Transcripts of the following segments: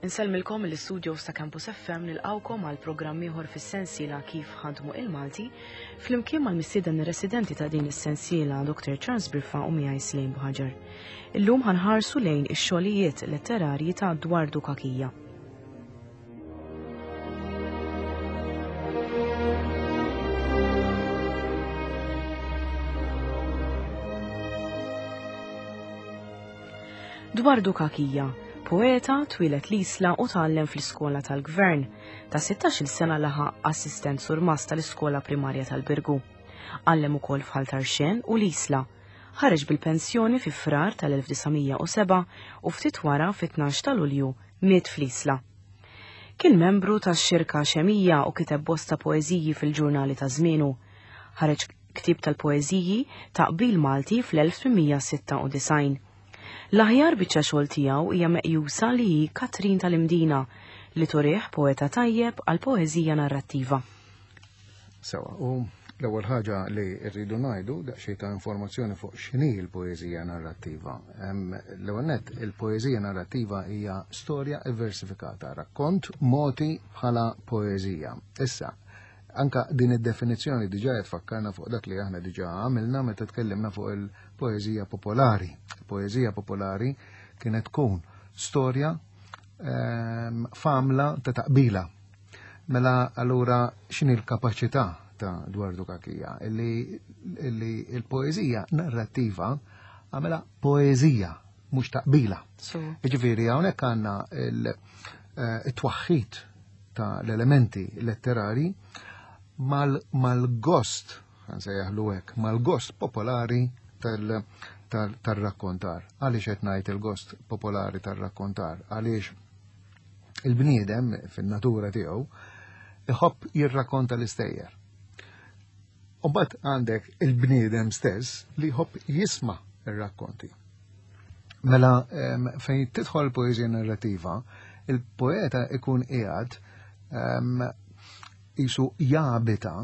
Insellmilkom mill-istudios ta' Campus FM nilqawkom għal programm ieħor fis-sensiela Kif ħadmu il-Malti flimkien mal-mistieden residenti ta' din is-sensiela Dr. Charles Briffa u miegħi Slejn Buħaġar. Illum ħanħarsu lejn ix-xogħlijiet letterarji ta' Dwardu Kakija. Dwardu Kakija, poeta, twieled l-Isla u tgħallem fl-iskola tal-Gvern. Ta' 16-il sena laħaq assistent surmast tal-iskola primarja tal-Birgu. Għallem ukoll f'Ħal Tarxien u l-Isla. Ħareġ bil-pensjoni fi Frar tal-1907 u ftit wara fit-12 ta' Lulju miet fl-Isla. Kien membru tax-Xirka Xemija u kiteb bosta poeżiji fil-ġurnali ta' żmienu. Ħareġ ktieb tal-poeżiji ta' Qbil Malti fl-1896. L-aħjar biċċa xogħol tiegħu hija meqjusa li hi Katrin tal-Imdina li turih poeta tajjeb għal poeżija narrattiva. Sewa, u l-ewwel ħaġa li rridu ngħidu daqsxejn ta' informazzjoni fuq x'inhi l-poeżija narrattiva. L-ewwel nett, il-poeżija narrattiva hija storja versifikata, rakkont moti bħala poeżija. Issa, anka din id-definizzjoni diġà qed tfakkarna fuq dak li aħna diġà għamilna meta tkellimna fuq il-poeżija popolari. Il-poeżija popolari kienet tkun storja ehm, famla ta' taqbila. Mela allura x'inhi l-kapaċità ta' Dwardu Kakija? Illi, illi il-poeżija narrattiva għamela poeżija mhux taqbila. Jiġifieri hawnhekk għandna il-twaħħid eh, ta' l-elementi letterari mal-gost, nsejjaħlu hekk, mal-gost popolari tal-rakkontar. Għaliex qed ngħid il-gost popolari tal-rakkontar? Għaliex il-bniedem fin-natura tiegħu iħobb jirrakkonta l-istejjer. U mbagħad għandek il-bniedem stess li jħobb jisma' ir-rakkonti. Mela fejn tidħol poeżija narrativa, il-poeta ikun qiegħed jisu jabita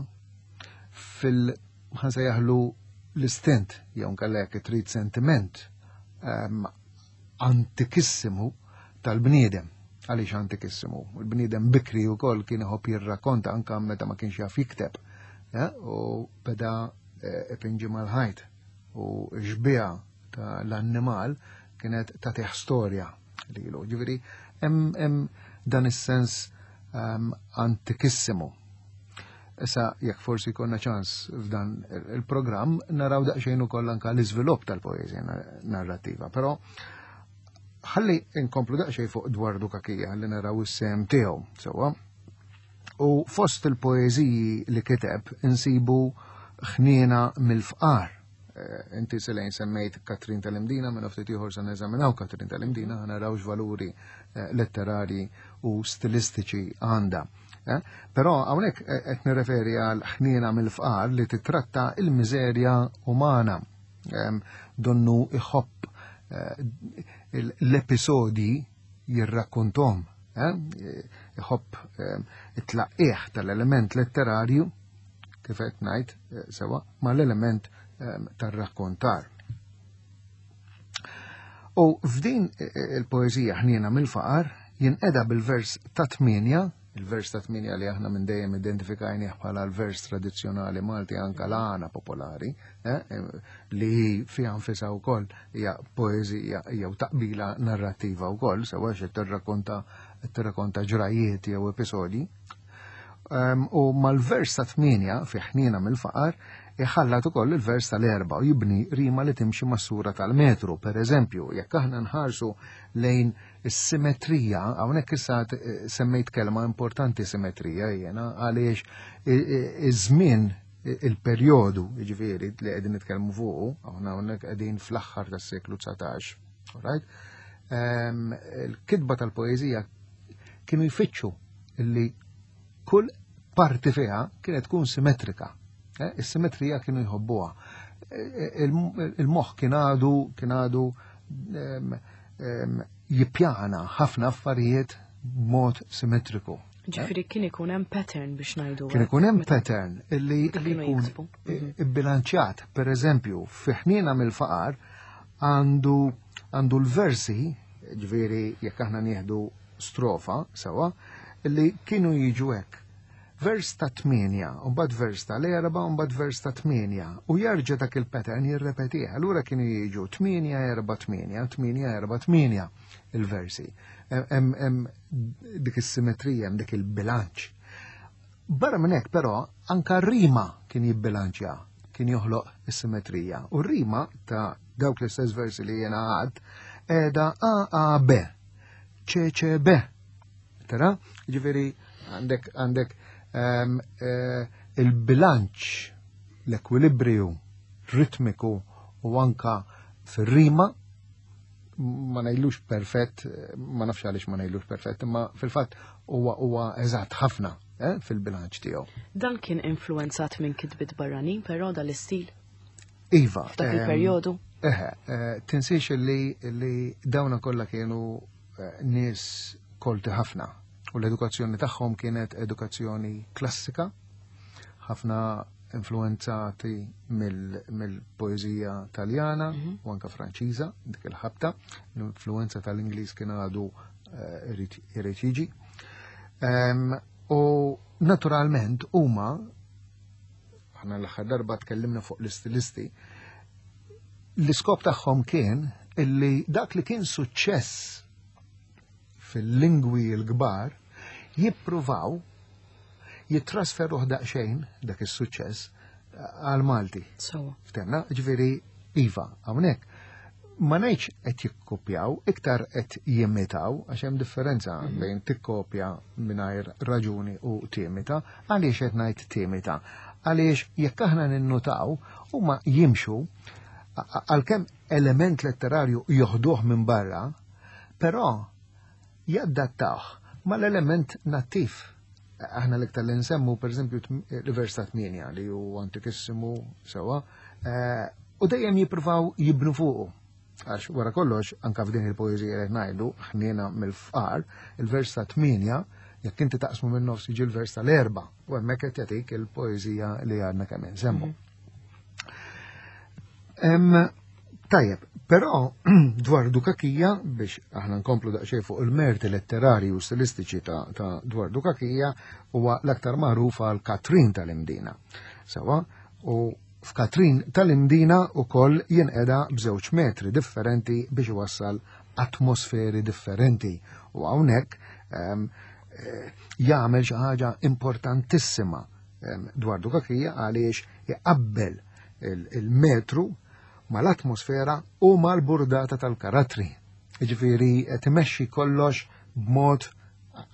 fil ħansejjaħlu l-istint jew nkella jekk trid sentiment antikissimu tal-bniedem. Għaliex antikissimu? Il-bniedem bikri wkoll kien iħobb jirrakkonta anke meta ma kienx jaf jikteb. U beda eh, ipinġi mal-ħajt u xbieha ta' l-annimal kienet tagħtih storja lilu. Ġifieri hemm dan is-sens ehm, antikissimu. Issa jekk forsi jkollna ċans f'dan il-programm naraw daqsxejn ukoll anke l-iżvilupp tal-poeżija narrattiva, però ħalli inkomplu daqsxejn fuq dwar Dukakija li naraw is-sem tiegħu sewwa. U fost il-poeżiji li kiteb insibu ħniena mill-fqar. Eh, inti Selejn semmejt Katrin tal-Imdina, minn ftit ieħor se neżaminaw Katrin tal-Imdina, naraw x'valuri eh, letterari u stilistiċi għandha. Eh? Però hawnhekk eh, qed nirreferi għal ħniena mill-fqar li titratta il-miżerja umana. Donnu iħobb eh, l-episodji jirrakkontom, iħobb it-tlaqqieħ tal-element letterarju, kif qed ngħid sewa, mal-element tar-rakkontar. U f'din il-poeżija ħniena mill-faqar jinqeda bil-vers ta' tmienja, il-vers ta' tmienja li aħna minn dejjem identifikajnieh bħala l-vers tradizzjonali Malti anka l-għana popolari, eh, li fiha nfisha wkoll hija poeżija jew taqbila narrattiva wkoll, sewa xi tirrakkonta tirrakkonta ġrajiet jew episodji. Ehm, u mal-vers ta' tmienja fi ħniena mill-faqar iħallat ukoll il-vers tal-erba u jibni rima li timxi mas-sura tal-metru. Per eżempju, jekk aħna nħarsu lejn is-simetrija, hawnhekk issa eh, semmejt kelma importanti simetrija jiena għaliex iż-żmien il-perjodu, jiġifieri li qegħdin nitkellmu fuqu, aħna hawnhekk qegħdin fl-aħħar tas-seklu 19, right? Ehm, il-kitba tal-poeżija kienu jfittxu illi kull parti fiha kienet tkun simetrika. Eh, is-simetrija kienu jħobbuha. Eh, il-moħħ kien għadu kien għadu ehm, ehm, jippjana ħafna affarijiet b'mod simetriku. Ġifieri kien ikun hemm pattern biex ngħidu. Kien ikun hemm pattern illi jkun mhm. ibbilanċjat. Per eżempju, fi ħniena mill-faqar għandu għandu l-versi, ġifieri jekk aħna nieħdu strofa sewa li kienu jiġu hekk. Vers ta' 8, u mbagħad vers tal-erba, u mbagħad vers ta' 8, u jerġa' dak il-pattern jirrepetih. Allura kienu jiġu 8 4 8, 8 4 8 il-versi. Hemm dik is-simetrija, hemm dik il-bilanċ. Barra minn hekk però anka rima kien jibbilanċja, kien joħloq is-simetrija. U rima ta' dawk l-istess versi li jiena għad qiegħda A A B, C C B. Tara? Ġifieri għandek għandek ehm, eh, il-bilanċ, l-ekwilibriju ritmiku u anka fir-rima ma ngħidlux perfett, ma nafx għaliex ma ngħidlux perfett, imma fil-fatt huwa huwa eżatt ħafna eh, fil-bilanċ tiegħu. Dan kien influenzat minn kitbiet barranin però dal-istil? Iva. F'dak ehm, il-perjodu? Eħe, eh, tinsiex li, li dawna kollha kienu eh, nies kolti ħafna u l-edukazzjoni tagħhom kienet edukazzjoni klassika, ħafna influenzati mill-poeżija Taljana mhm. u anka Franċiża dik il-ħabta, l-influenza tal-Ingliż kien għadu eh, irid jiġi. U naturalment huma aħna l-aħħar darba tkellimna fuq l-istilisti, l-iskop tagħhom kien illi dak li kien suċċess fil-lingwi l-kbar jippruvaw jittrasferuh daqsxejn dak is-suċċess għal Malti. Ftemna, ġifieri iva, hawnhekk ma ngħidx qed jikkopjaw, iktar qed jimitaw, għax hemm differenza mhm. bejn tikkopja mingħajr raġuni u timita, għaliex qed ngħid timita. Għaliex jekk aħna ninnutaw huma jimxu għalkemm element letterarju joħduh minn barra, Però jaddattawh mal-element nattiv. Aħna l-iktar li nsemmu, per eżempju, l-vers ta' 8 li hu antikissimu sewa, eh, u dejjem jippruvaw jibnu fuqu. Għax wara kollox, anka f'din il-poeżija li ngħidu, ħniena mill-fqar, il-vers ta' 8, jekk inti taqsmu minn nofs jiġi l-vers tal-erba, u hemmhekk qed jagħtik il-poeżija li għadna kemm insemmu. Mm. Tajjeb, però dwar Dukakija, biex aħna nkomplu daqsxejn fuq il-merti letterari u stilistiċi ta', ta dwar Dukakija, huwa l-aktar magħruf għal Katrin tal-Imdina. Sewa, u f'Katrin tal-Imdina ukoll jinqeda b'żewġ metri differenti biex iwassal atmosferi differenti. U hawnhekk ehm, eh, jagħmel xi ħaġa importantissima ehm, dwar Dukakija għaliex iqabbel il-metru mal-atmosfera u mal-burdata tal-karattri. Jiġifieri qed imexxi kollox b'mod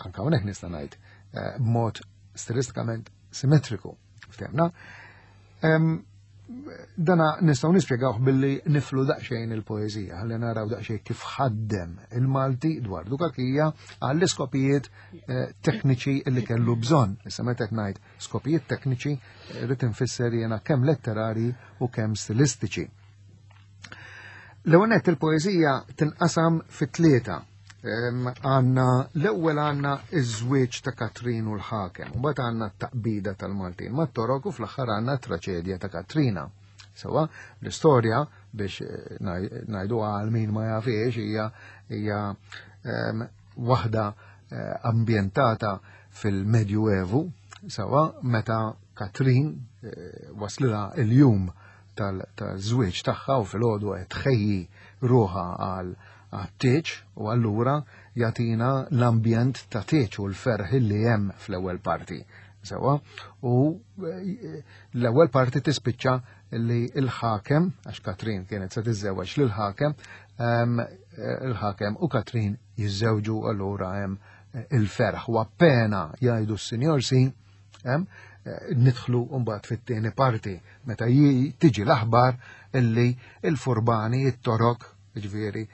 anke hawnhekk nista' ngħid eh, b'mod stilistikament simmetriku. Ftemna. Dana nistgħu nispjegawh billi niflu daqsxejn il-poeżija, ħalli naraw daqsxejn kif ħaddem il-Malti dwar Dukakija għall-iskopijiet eh, tekniċi li kellu bżonn. Issa meta qed ngħid Skopijiet tekniċi rrid infisser jiena kemm letterari u kemm stilistiċi. L-ewwel il-poeżija tinqasam fi tlieta. Għanna l-ewwel għandna iż-żwieġ ta' Katrin u l-ħakem, u mbagħad għandna t-taqbida tal-Maltin mat-Torok u fl-aħħar għandna traċedja ta' Katrina. Sewa, l-istorja biex eh, ngħidu għal min ma jafiex hija hija waħda eh, ambjentata fil-Medju Evu, sawa meta Katrin eh, waslilha il-jum tal-żwieġ tagħha u fil-għodu qed tħejji ruħha għal għat-tieġ u allura jagħtina l-ambjent ta' tieġ u l-ferħ li hemm fl-ewwel parti. Sewa, u eh, l-ewwel parti tispiċċa li l-ħakem, għax Katrin kienet se tiżżewweġ lil ħakem, ehm, eh, il-ħakem u Katrin jiżżewġu allura hemm il-ferħ u appena jgħidu s-Sinjor Si, eh, nidħlu mbagħad fit-tieni parti meta tiġi l-aħbar illi il-furbani it-torok ġifieri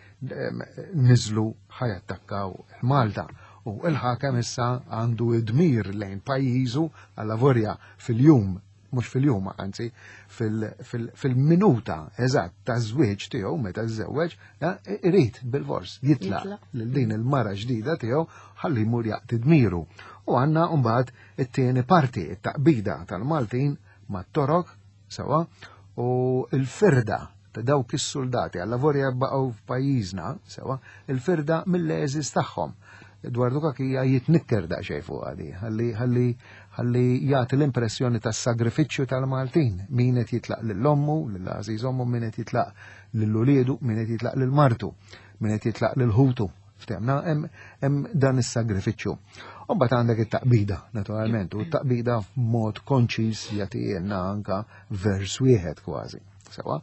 niżlu ħajattakkaw il-Malta. U il-ħakem issa għandu id-dmir lejn pajjiżu għalla vorja fil-jum mhux fil-jum anzi fil-minuta eżatt ta' żwieġ tiegħu meta żżewweġ, eh, irid bil-fors jitlaq lil din il-mara ġdida tiegħu ħalli jmur jaqti dmiru. U għandna mbagħad it-tieni parti, it-taqbida tal-Maltin mat-Torok sewa u l-firda ta' dawk is-soldati għalla vorja baqgħu f'pajjiżna sewa il-firda mill-eżis tagħhom. Dwar Dukakija jitnikker daqsxejn fuq għadi, ħalli ħalli ħalli jagħti l-impressjoni tas-sagrifiċċju tal-Maltin, min qed jitlaq lil ommu, lil għażiż ommu, min qed jitlaq lil uliedu, min qed jitlaq lil martu, min qed jitlaq lil ħutu. Ftemna hemm dan is-sagrifiċċju. U mbagħad għandek it-taqbida, naturalment, u t-taqbida f'mod konċis jagħtielna anka vers wieħed kważi. Sewa.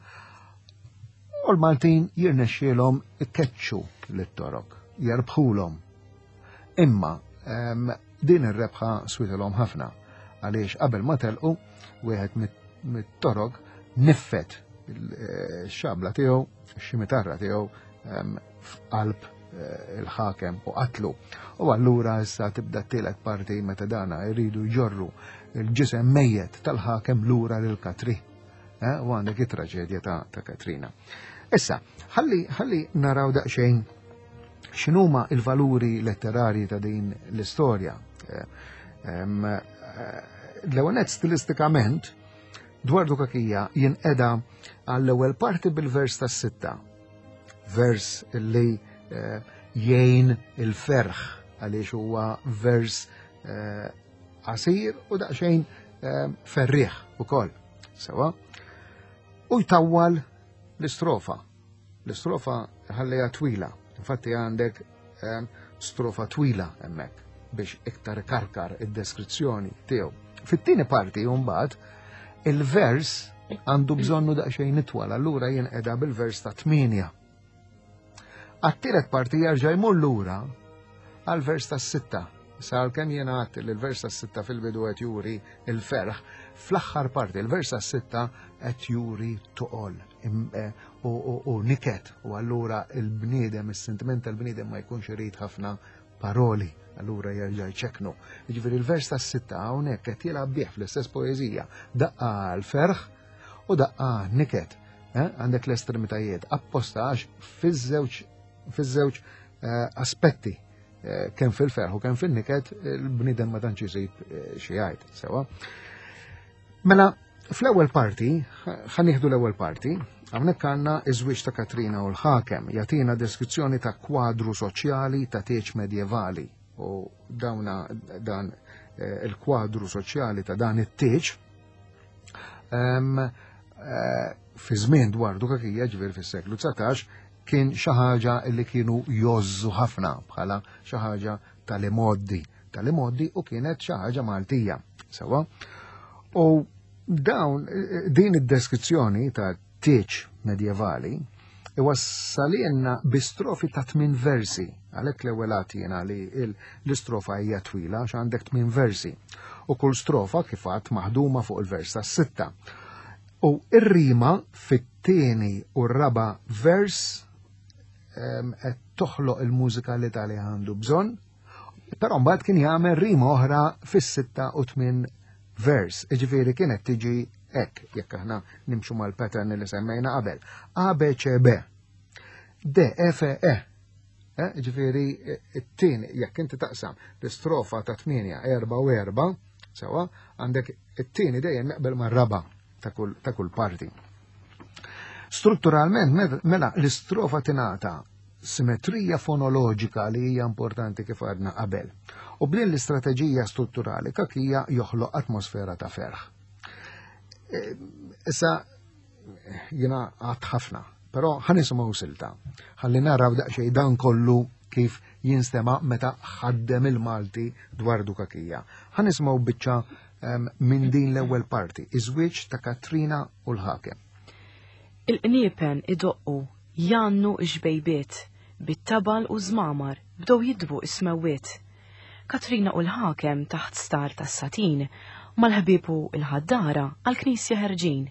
U l-Maltin jirnexxielhom ikeċċu lit-Torok, jerbħulhom. Imma din ir-rebħa switilhom ħafna għaliex qabel ma telqu wieħed mit-Torok niffet il-xabla tiegħu, ximitarra tiegħu f'qalb eh, il-ħakem u qatlu. U allura issa tibda t-tielet parti meta dana jridu jġorru il-ġisem mejjet tal-ħakem lura lil Katri. Eh, u għandek it-traġedja ta', ta Katrina. Issa, ħalli ħalli naraw daqsxejn x'inhuma il-valuri letterarji ta' din l-istorja. Eh, eh, l-ewwel stilistikament dwar Dukakija jinqeda għall-ewwel parti bil-vers tas-sitta. Vers li jgħin il-ferħ għaliex huwa vers qasir u daqsxejn ferrieħ ukoll. Sewa. U jtawwal l-istrofa. L-istrofa ħallejha twila. Infatti għandek ehm, strofa twila hemmhekk biex iktar karkar id-deskrizzjoni tiegħu. Fit-tieni parti mbagħad il-vers għandu bżonnu daqsxejn itwal, allura jinqeda bil-vers ta' tminja. Għat-tielet parti jerġa' jmur lura għal vers tas-sitta. Sa għalkemm jiena għadt li l-vers tas-sitta fil-bidu qed juri l-ferħ, fl-aħħar parti l-vers tas-sitta qed juri toqol eh, u niket u allura il-bniedem, is-sentiment tal-bniedem ma jkunx irid ħafna paroli, allura jerġa' jċeknu. Jiġifieri l-vers tas-sitta hawnhekk qed jilgħab bih fl-istess poeżija daqqa l-ferħ u daqqa niket. Eh, għandek l-estremitajiet apposta għax fiż-żewġ fiż-żewġ eh, aspetti eh, kemm fil-ferħ u kemm fin-niket il-bniedem ma tantx isib xi jgħid sewa. Mela fl-ewwel parti, ħa nieħdu l-ewwel parti, hawnhekk għandna iż-żwieġ ta' Katrina u l-ħakem jagħtina deskrizzjoni ta' kwadru soċjali ta' tieġ medjevali u dawna dan il-kwadru soċjali ta' dan it-tieġ Eh, fi żmien dwar Dukakija, ġifieri fis-seklu 19, kien xi ħaġa li kienu jozzu ħafna bħala xi ħaġa tal-imoddi, tal-imoddi u kienet xi ħaġa Maltija. Sewa. U dawn din id-deskrizzjoni ta' tieġ medjevali iwassalilna bi strofi ta' tmien versi. Għalhekk l-ewwel għad jiena li l-istrofa hija twila għax għandek tmien versi. U kull strofa kif għad maħduma fuq il-vers tas-sitta. U ir-rima fit-tieni u r-raba' vers qed toħloq il-mużikalità li għandu bżonn Però mbagħad kien jagħmel rima oħra fis-sitta u tmien vers, jiġifieri kienet tiġi hekk jekk aħna nimxu mal-pattern li semmejna qabel. A B C B. D F E. Eh, ġifieri it-tieni jekk inti taqsam l-istrofa ta' 8, 4 u 4, sewa, għandek it-tieni dejjem jaqbel mar-raba' ta' kull ta' kull parti. Strutturalment mela l-istrofa tingħata simetrija fonoloġika li hija importanti kif għadna qabel. U b'din l-istrateġija strutturali kakija joħloq atmosfera ta' ferħ. E, issa jiena għad ħafna, però ħanisimgħu silta. Ħalli naraw daqsxejn dan kollu kif jinstema' meta ħaddem il-Malti dwar Dukakija. Ħanisimgħu biċċa minn din l-ewwel parti, iż-żwieġ ta' Katrina u l-ħakem. Il-qniepen idoqqu Jgħannu x-xbejbiet, bit-tabal u ż-żmamar bdew jidbu s-smewwiet. Katrina u l-ħakem taħt star tas-satin, mal-ħbieb u l-ħaddara għall-knisja ħerġin.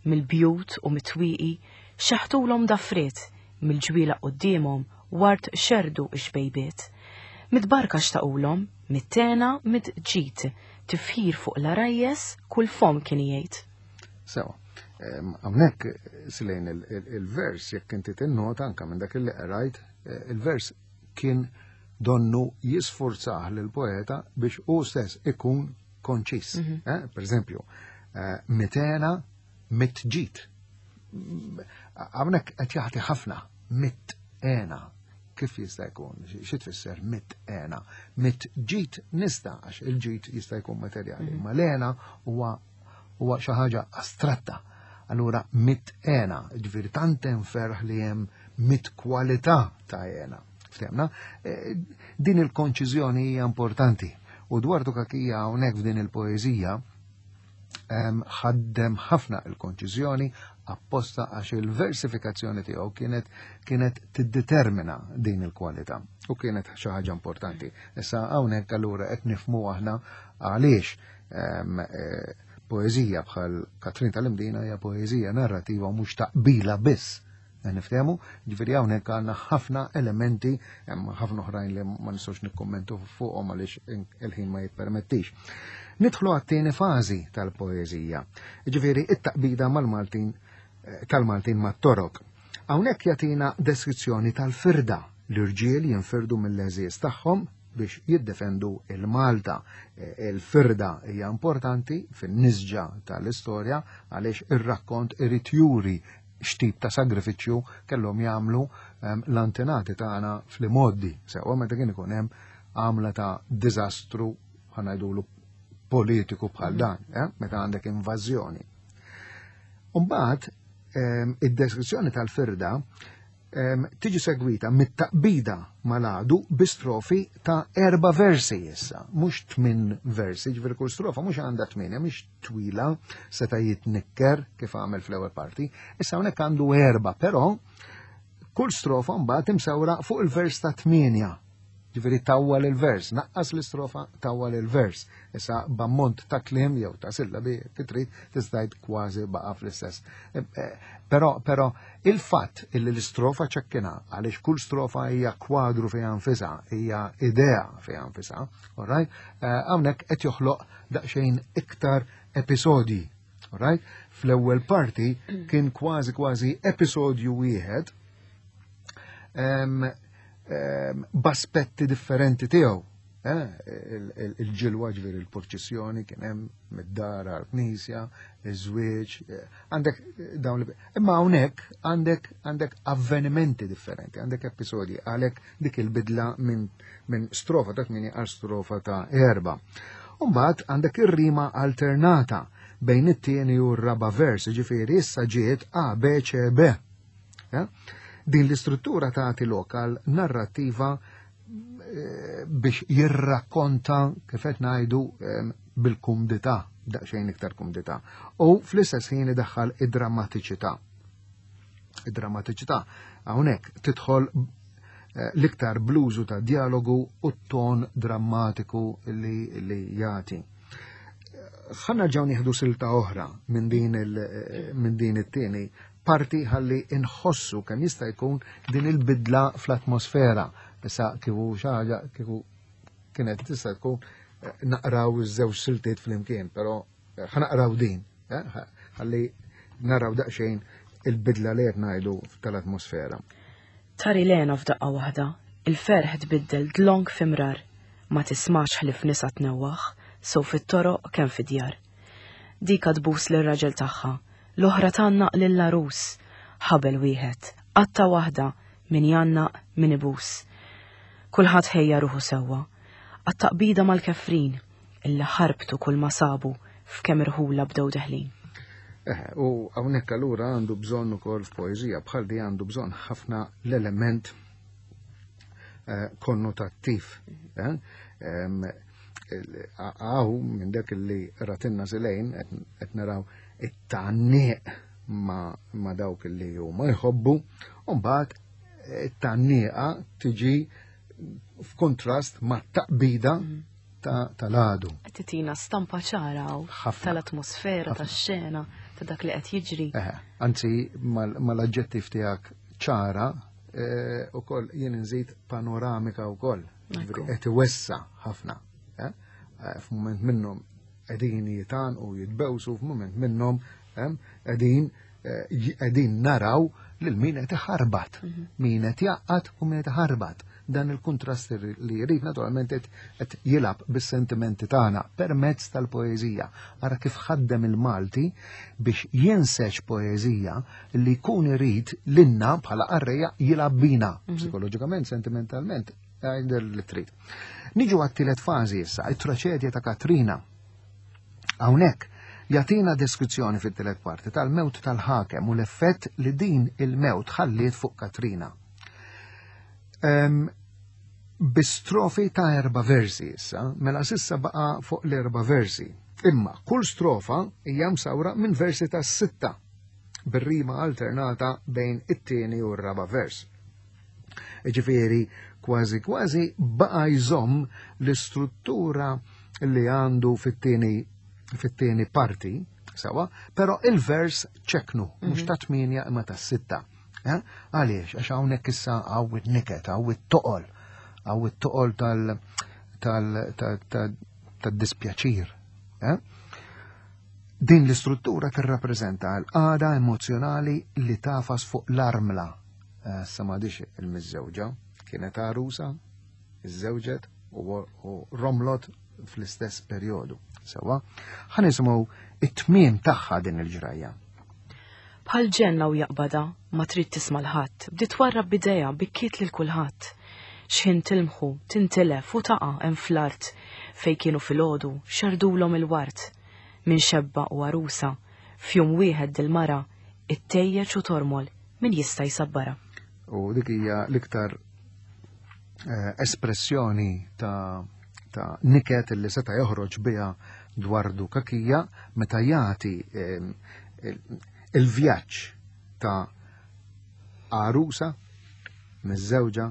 Mill-bjut u mit-twieqi xeħtulhom dafriet, mill-ġwielag quddiemhom ward xerrdu x-xbejbiet. Mid-barka xtaqulhom, mit-tena, mid-ġid, tifħir fuq l-għarajjes kull fomm kien igħid. Sewa. Hawnhekk silejn il-vers jekk inti tinnota anke minn dak li qrajt, eh, il-vers kien donnu jisfurzah lil poeta biex hu stess ikun konċis. Mhm. Eh, per eżempju, eh, mitena mitġit. Hawnhekk qed jagħti ħafna mit-ena. Kif jista' jkun? Xi tfisser mit hena? Mit ġid nista' għax il-ġid jista' jkun materjali, mhm. ma l-hena huwa huwa xi ħaġa astratta. Allura mit hena, ġifieri tant hemm ferħ li hemm mit kwalità ta' hena. Ftemna? E, din il-konċiżjoni hija importanti. U dwar Kakija hawnhekk f'din il-poeżija ħaddem ħafna il-konċiżjoni apposta għax il-versifikazzjoni tiegħu kienet kienet tiddetermina din il-kwalità u kienet xi ħaġa importanti. Issa hawnhekk allura qed nifhmu aħna għaliex eh, poeżija bħal Katrin tal-Imdina hija poeżija narrativa u mhux taqbila biss. Niftehmu, ġifieri hawnhekk għandna ħafna elementi, hemm ħafna oħrajn li ma nistgħux nikkummentu fuqhom għaliex il-ħin ma jippermettix. Nidħlu għat-tieni fażi tal-poeżija, ġifieri it-taqbida mal-Maltin eh, tal-Maltin mat-Torok. Hawnhekk jagħtina deskrizzjoni tal-firda l-irġiel jinfirdu mill-għeżież tagħhom biex jiddefendu il-Malta. Eh, il-firda hija importanti fin-nisġa tal-istorja għaliex ir-rakkont irid juri x'tip ta' sagrifiċċju kellhom jagħmlu ehm, l-antenati tagħna fl-imgħoddi, sewwa meta kien ikun hemm għamla ta' diżastru ħanajdulu politiku bħal mhm. dan, eh, meta għandek invażjoni. Umbagħad ehm, id-deskrizzjoni tal-firda ehm, tiġi segwita mit-taqbida mal-għadu bi strofi ta' erba versi issa, mhux tmin versi, ġifieri kull strofa mhux għandha tminja, mhix twila, seta' jitnikker kif għamel fl-ewwel parti, issa hawnhekk għandu erba, però kull strofa mbagħad imsawra fuq il-vers ta' tminja. Ġifieri tawwal il-vers, naqqas l-istrofa tawwal il-vers. Issa b'ammont ta' kliem jew ta' sillabi trid tista' kważi baqa' fl-istess. Eh, eh, però però il-fatt illi l-istrofa ċekkina għaliex kull strofa hija kwadru fiha nfisha, hija idea fiha nfisha, all right? Eh, hawnhekk qed joħloq daqsxejn iktar episodji. Right? Fl-ewwel parti kien kważi kważi episodju wieħed b'aspetti differenti tiegħu. Eh, il-ġilwa ġviri il-purċissjoni kien hemm mid-dar għal-knisja, iż-żwieġ, eh, għandek dawn li. Imma hawnhekk għandek għandek avvenimenti differenti, għandek episodji għalhekk dik il-bidla minn min strofa ta' 8 għal strofa ta' 4. Umbagħad għandek ir-rima alternata bejn it-tieni u r-raba vers, ġifieri issa ġiet A, B, C, B. Ja? Din l-istruttura tagħti lokal narrattiva eh, biex jirrakkonta kif qed ngħidu eh, bil-kumdità, daqsxejn iktar kumdità. U fl-istess ħin idaħħal id-drammatiċità. Id-drammatiċità hawnhekk tidħol eh, l-iktar bluzu ta' dialogu u t-ton drammatiku li, li jagħti. Ħanna ġew nieħdu silta oħra minn din eh, minn din it-tieni parti ħalli inħossu kemm jista' jkun din il-bidla fl-atmosfera. Issa kieku xi ħaġa kieku kienet tista' tkun eh, naqraw iż-żewġ siltiet flimkien, però ħanaqraw din, eh, ħalli naraw daqsxejn il-bidla li qed ngħidu tal-atmosfera. Tari lena f'daqqa waħda, il-ferħ tbiddel dlonk f'imrar, ma tismax ħlief nisa tnewwaħ, sew fit-toroq kemm fid-djar. Dika tbus lir-raġel tagħha, l-oħra tgħannaq lill-għarus, ħabel wieħed, qatta waħda, min jgħannaq, min ibus. Kulħadd ħejja ruħu sewwa, għat-taqbida mal-kefrin, illi ħarbtu kull ma sabu f'kemm irħula bdew deħlin. Eh, u hawnhekk allura għandu bżonn ukoll f'poeżija bħal di għandu bżonn ħafna l-element eh, konnotattiv. Eh? Għaw minn dak li ratinna zilejn qed naraw it-tgħanniq ma dawk li huma jħobbu, u mbagħad it-tgħanniqa tiġi f'kontrast ma' taqbida mm. tal-għadu. Qed titina stampa ċara tal-atmosfera, tax-xena, ta' dak li qed jiġri. Anzi, mal-aġġettiv tiegħek ċara, eh, ukoll jien nżid panoramika wkoll. Qed iwessa ħafna. Eh, eh, f'mument minnhom qegħdin jitan u jitbewsu f'mument minnhom qegħdin qegħdin naraw lil min qed iħarbat, mhm. min qed jaqgħad u min qed iħarbat. dan il-kuntrast li jrid naturalment qed jilgħab bis-sentimenti tagħna permezz tal-poeżija. Ara kif ħaddem il-Malti biex jinseġ poeżija li jkun irid lilna bħala qarrejja jilgħab bina psikoloġikament, sentimentalment, għajder li trid. Niġu għat-tielet fażi issa, it-traċedja ta' Katrina. Hawnhekk jagħtina deskrizzjoni fit-tielet parti tal-mewt tal-ħakem u l-effett li din il-mewt ħalliet fuq Katrina. Bi strofi ta' 4 versi issa, mela sissa baqa' fuq l-4 versi. Imma kull strofa hija msawra minn versi ta' 6 bir-rima alternata bejn it-tieni u r-raba' vers. Ġifieri, kważi kważi baqa' jżomm l-istruttura li għandu fit-tieni parti, sewa, però il-vers ċeknu, mhux ta' 8 imma ta' 6. Għaliex? Għax hawnhekk issa hawn it-niket, hawn it-toqol, hawn it-toqol tad-dispjaċir. Din l-istruttura tirrappreżenta l-qagħda emozjonali li tafas fuq l-armla. Sa m'għadix il-miżżewġa, kienet għarusa, iżżewġet u romlot fl-istess perjodu. Sewa, ħa nisimgħu it-tmiem tagħha din il-ġrajja. Bħal ġenna u jaqbada, ma trid tisma' l-ħadd, bdiet twarrab b'idejha bikkiet lil kulħadd. X'ħin tilmħu, tintilef u taqa' hemm fl-art fejn kienu filgħodu xerdulhom il-ward. Minn xebba u għarusa, f'jum wieħed dil-mara ittejjeġ u tormol min jista' jsabbarha. U dik hija l-iktar espressjoni ta' niket li seta' joħroġ biha Dwardu Cachia meta jagħti il-vjaġġ ta' għarusa miż-żewġa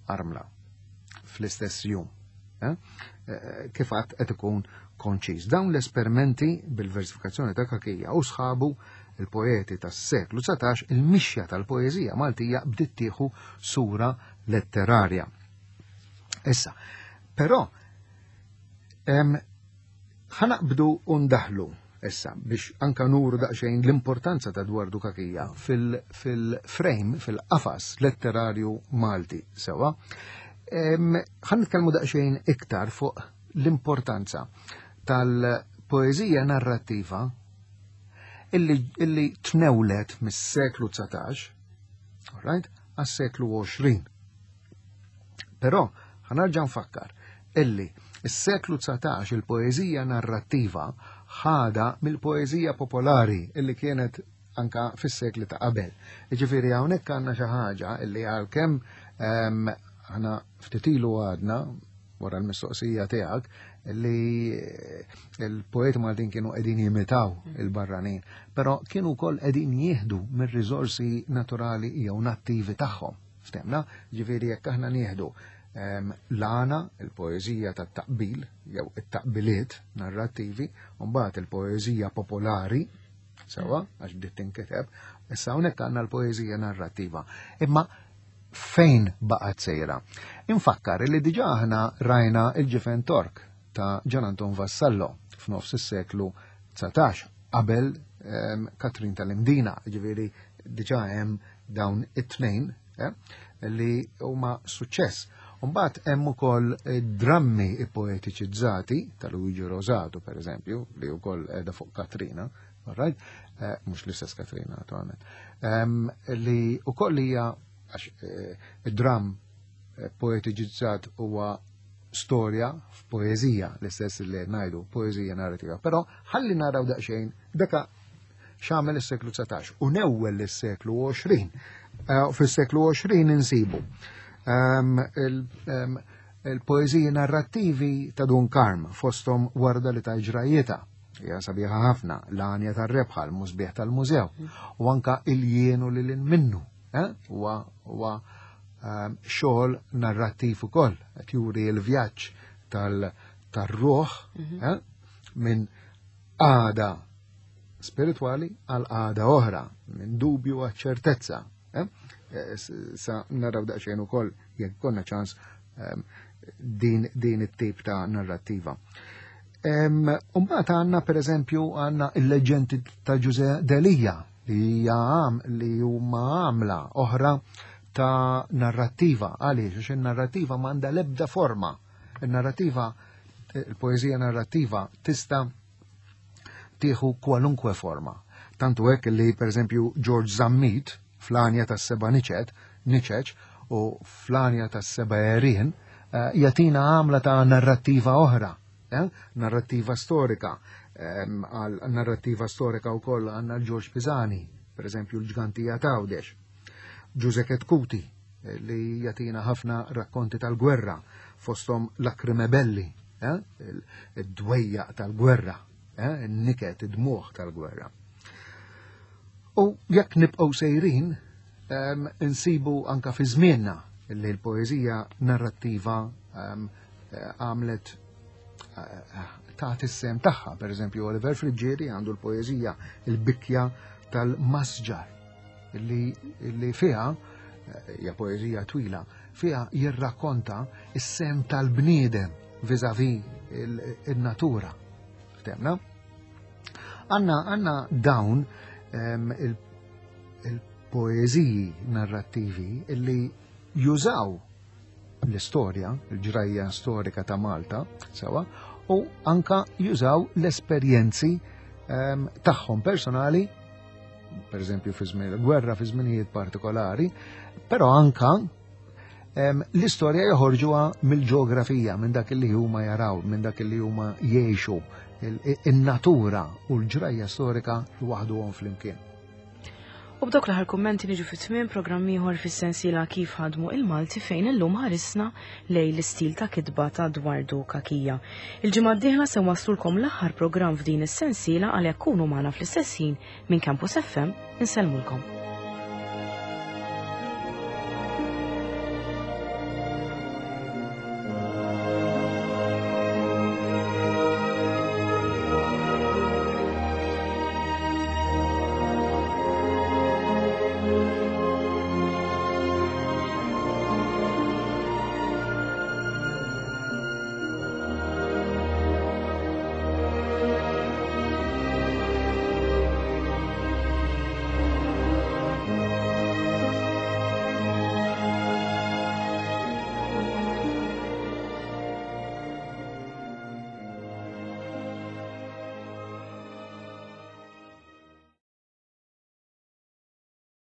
armla fl-istess jum. Kif għad qed ikun konċiż. Dawn l-esperimenti bil-versifikazzjoni ta' Cachia u sħabu il-poeti tas-seklu 19, il-mixja tal-poeżija Maltija bdiet tieħu sura letterarja. Issa, però, ħanaqbdu u ndaħlu issa biex anka nuru daqsxejn l-importanza ta' Dwardu Cachia fil-frame, fil-qafas letterarju Malti sewa. Ħan nitkellmu daqsxejn iktar fuq l-importanza tal-poeżija narrattiva illi tnewlet mis-seklu 19, all right, għas-seklu 20. Però ħanarġa' nfakkar illi s-seklu 19 il-poeżija narrattiva ħada mill-poeżija popolari illi kienet anka fis-sekli ta' qabel. Jiġifieri hawnhekk għandna xi ħaġa illi għalkemm aħna ftit ilu għadna wara l-mistoqsija tiegħek li il-poeti Maltin kienu qegħdin jimitaw il-barranin, però kienu wkoll qegħdin jieħdu mir-riżorsi naturali jew nattivi tagħhom. Ftemna, ġifieri jekk aħna nieħdu l-għana, il-poeżija tat-taqbil jew it-taqbiliet narrattivi, u mbagħad il-poeżija popolari, sewa, għax bdiet tinkiteb, issa hawnhekk għandna l-poeżija narrattiva. Imma fejn baqgħet sejra? Infakkar li diġà aħna rajna il-ġifen Tork ta' Gian Anton Vassallo f'nofs is-seklu 19 qabel Katrin tal-Imdina, ġifieri diġà hemm dawn it-tnejn li huma suċċess. Mbagħad hemm ukoll drammi poetiċizzati ta' Luigi Rosato, per eżempju, li wkoll qiegħda fuq Katrina, all right? Mhux l-istess Katrina, naturalment. Li wkoll hija għax id-dramm poetiċizzat huwa storja f'poeżija, l-istess li ngħidu poeżija narrativa. Però ħalli naraw daqsxejn daka x'għamel is-seklu 19 u newwel is-seklu 20. Fis-seklu 20 insibu il-poeżiji narrattivi ta' Dun Karm fosthom Warda li ta' ġrajjita, hija sabiħa ħafna, l-għanja tar-rebħa, l-musbieħ tal-mużew, u anka il-jienu li lil minnu, huwa xogħol narrattiv ukoll, qed juri l-vjaġġ tar-ruħ, minn għada spiritwali għal għada oħra, minn dubju għal ċertezza. Sa naraw daqsxejn ukoll jekk konna ċans din it-tip ta' narrattiva. Mbagħad għandna pereżempju għandna il-leġendi ta' Ġuże Delia li hija li huma għamla oħra ta' narrattiva. Għaliex? Għax in-narrattiva m'għandha l-ebda forma. Il-narrattiva, il-poeżija narrattiva tista' tieħu kwalunkwe forma. Tantu hekk li pereżempju George Zammit fl-għanja tas-seba' niċet, niċeċ u fl-għanja tas-seba' għerien eh, jagħtina għamla ta' narrattiva oħra, eh? narrattiva storika. Għal narrattiva storika wkoll għandna l-George Pisani, pereżempju l-ġgantija t'Għawdex. Ġuże Ketkuti eh, li jagħtina ħafna rakkonti tal-gwerra fosthom Lacrime Belli, id-dwejjaq tal-gwerra, in-niket, id-dmugħ tal-gwerra. U jekk nibqgħu sejrin, insibu anka fi żmienna li l-poeżija narrattiva għamlet eh, ta' is-sem tagħha. Per eżempju, Oliver Friggieri għandu l-poeżija Il-Bikja tal-Masġar li, li fiha eh, hija poeżija twila, fiha jirrakkonta is-sem tal-bniedem viżavi il-natura. Ftemna? Għanna għanna dawn il-poeżiji narrattivi illi jużaw l-istorja, il-ġrajja storika ta' Malta, sewa, u anka jużaw l-esperjenzi tagħhom personali, per eżempju fi żmien il-gwerra, fi żminijiet partikolari, però anka l-istorja joħorġuha mill-ġeografija, minn dak li huma jaraw, minn dak li huma jgħixu, in-natura u l-ġrajja storika waħduhom flimkien. U b'dawk l-aħħar kummenti niġu fi tmiem programm ieħor fis-sensiela Kif ħadmu il-Malti fejn illum ħarisna lejn l-istil ta' kitba ta' Dwardu Cachia. Il-ġimgħa d-dieħla se nwasslulkom l-aħħar programm f'din is-sensiela għalhekk kunu magħna fl-istess ħin minn Campus FM insellmulkom.